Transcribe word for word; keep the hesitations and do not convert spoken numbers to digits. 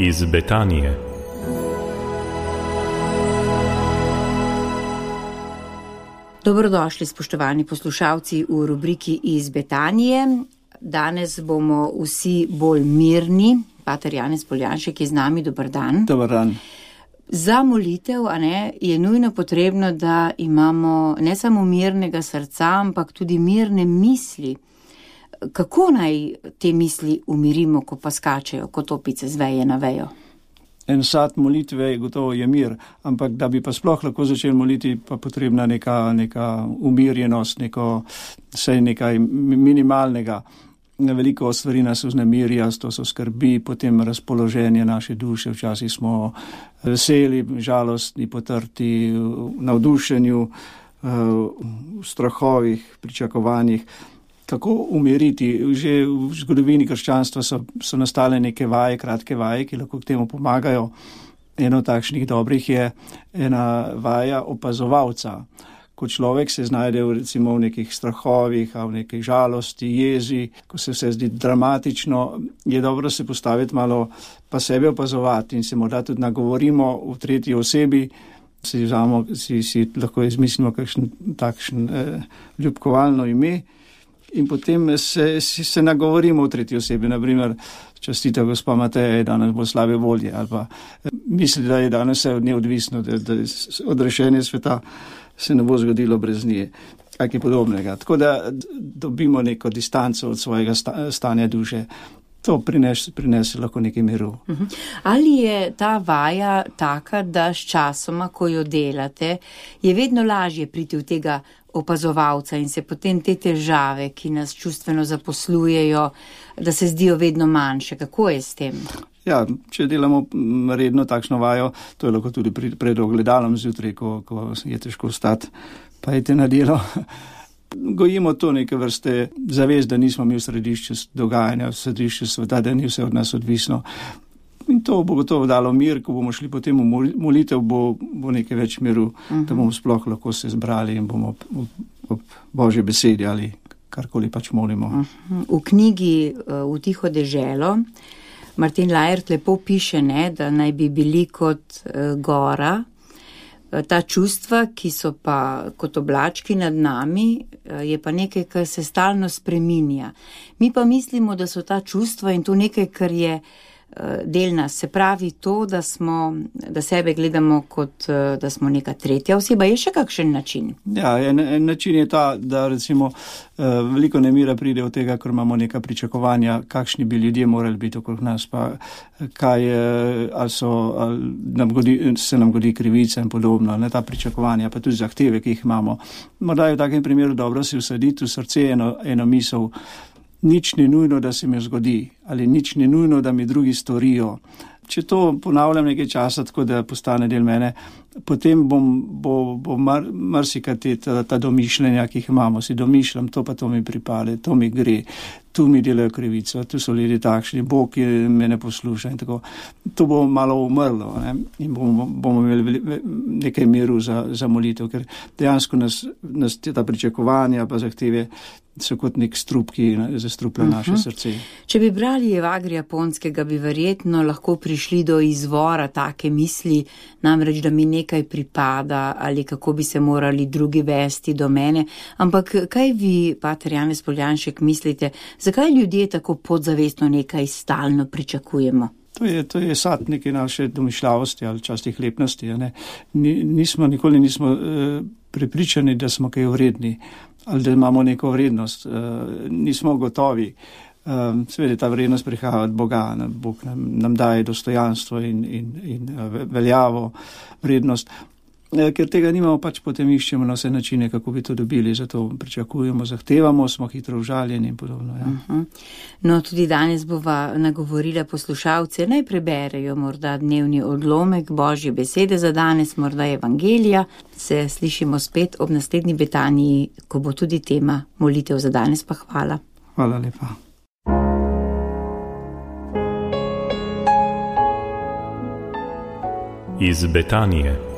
iz Betanije. Dobrodošli, spoštovani poslušalci, v rubriki Iz Betanije. Danes bomo vsi bolj mirni. Pater Janez Poljanšek je z nami. Dober dan. Dober dan. Za molitev, a ne, je nujno potrebno, da imamo ne samo mirnega srca, ampak tudi mirne misli. Kako naj te misli umirimo, ko pa skačejo kot opice z veje na vejo? En sad molitve gotovo je mir, ampak da bi pa sploh lahko začeli moliti, pa potrebna neka, neka umirjenost, neko, vsaj nekaj minimalnega. Veliko stvari nas vznemirja, to so skrbi, potem razpoloženje naše duše, včasih smo veseli, žalostni, potrti, v navdušenju, v strahovih, pričakovanjih. Kako umiriti? Že v zgodovini krščanstva so, so nastale neke vaje, kratke vaje, ki lahko k temu pomagajo. Eno takšnih dobrih je ena vaja opazovalca. Ko človek se znajde v, recimo, v nekih strahovih, v nekej žalosti, jezi, ko se vse zdi dramatično, je dobro se postaviti malo pa sebe opazovati in se morda tudi nagovorimo v tretji osebi, si, vzamo, si, si lahko izmislimo kakšen takšen eh, ljubkovalno ime. In potem se, se nagovorimo v tretji osebi, naprimer, častite gospa Mateja, je danes bo slabe volje, ali pa misli, da je danes vse od nje odvisno, da, da odrešenje sveta se ne bo zgodilo brez nje, kaj podobnega. Tako da dobimo neko distanco od svojega sta, stanja duše. To prinese, prinese lahko nekaj miru. Ali je ta vaja taka, da s časoma, ko jo delate, je vedno lažje priti v tega opazovalca in se potem te težave, ki nas čustveno zaposlujejo, da se zdijo vedno manjše? Kako je s tem? Ja, če delamo redno takšno vajo, to je lahko tudi pred ogledalom zjutraj, ko, ko je težko vstati, pa idete na delo. Gojimo to neke vrste zavest, da nismo mi v središču dogajanja, v središču sveta, da ni vse od nas odvisno. In to bo gotovo dalo mir, ko bomo šli potem v molitev, bo, bo nekaj več miru, uh-huh. da bomo sploh lahko se zbrali in bomo ob, ob, ob Božje besedi ali karkoli pač molimo. Uh-huh. V knjigi V tiho deželo Martin Lajert lepo piše, ne, da naj bi bili kot uh, gora, ta čustva, ki so pa kot oblački nad nami, je pa nekaj, kar se stalno spreminja. Mi pa mislimo, da so ta čustva in to nekaj, kar je del nas. Se pravi to, da smo, da sebe gledamo kot, da smo neka tretja oseba. Je še kakšen način? Ja, en, en način je ta, da recimo veliko nemira pride od tega, ker imamo neka pričakovanja, kakšni bi ljudje morali biti okrog nas, pa kaj ali so, ali nam godi, se nam godi krivica in podobno, ne, ta pričakovanja, pa tudi zahteve, ki jih imamo. Morda je v takem primeru dobro si vsaditi v srce eno, eno misel, nič ni nujno, da se mi zgodi, ali nič ni nujno, da mi drugi storijo. Če to ponavljam nekaj časa, tako da postane del mene, potem bom, bo, bo mar, marsikaj te, ta, ta domišljenja, ki jih imamo, si domišljam, to pa to mi pripade, to mi gre, tu mi delajo krivico, tu so ljudje takšni, Bog me ne posluša in tako. To bo malo umrlo, ne? In bomo, bomo imeli nekaj miru za, za molitev, ker dejansko nas, nas ta pričakovanja pa zahteve so kot nek strup, ki zastruplja uh-huh. naše srce. Če bi brali Evagrija Ponskega, bi verjetno lahko prišli do izvora take misli, namreč, da mi nekaj pripada ali kako bi se morali drugi vesti do mene. Ampak kaj vi, pater Janez Poljanšek, mislite, zakaj ljudje tako podzavestno nekaj stalno pričakujemo? To je, to je sad neke naše domišljavosti ali častih lepnosti. Ne? Nismo, nikoli nismo uh, prepričani, da smo kaj vredni ali da imamo neko vrednost. Uh, nismo gotovi. Uh, Seveda ta vrednost prihaja od Boga. Bog nam, nam daje dostojanstvo in, in, in veljavo, vrednost. Ker tega nimamo, pač potem iščemo na vse načine, kako bi to dobili, zato pričakujemo, zahtevamo, smo hitro užaljeni in podobno. Ja. Uh-huh. No, tudi danes bova nagovorila poslušalce, naj preberejo morda dnevni odlomek Božje besede za danes, morda Evangelija. Se slišimo spet ob naslednji Betaniji, ko bo tudi tema molitev za danes, pa hvala. Hvala lepa. Iz Betanije.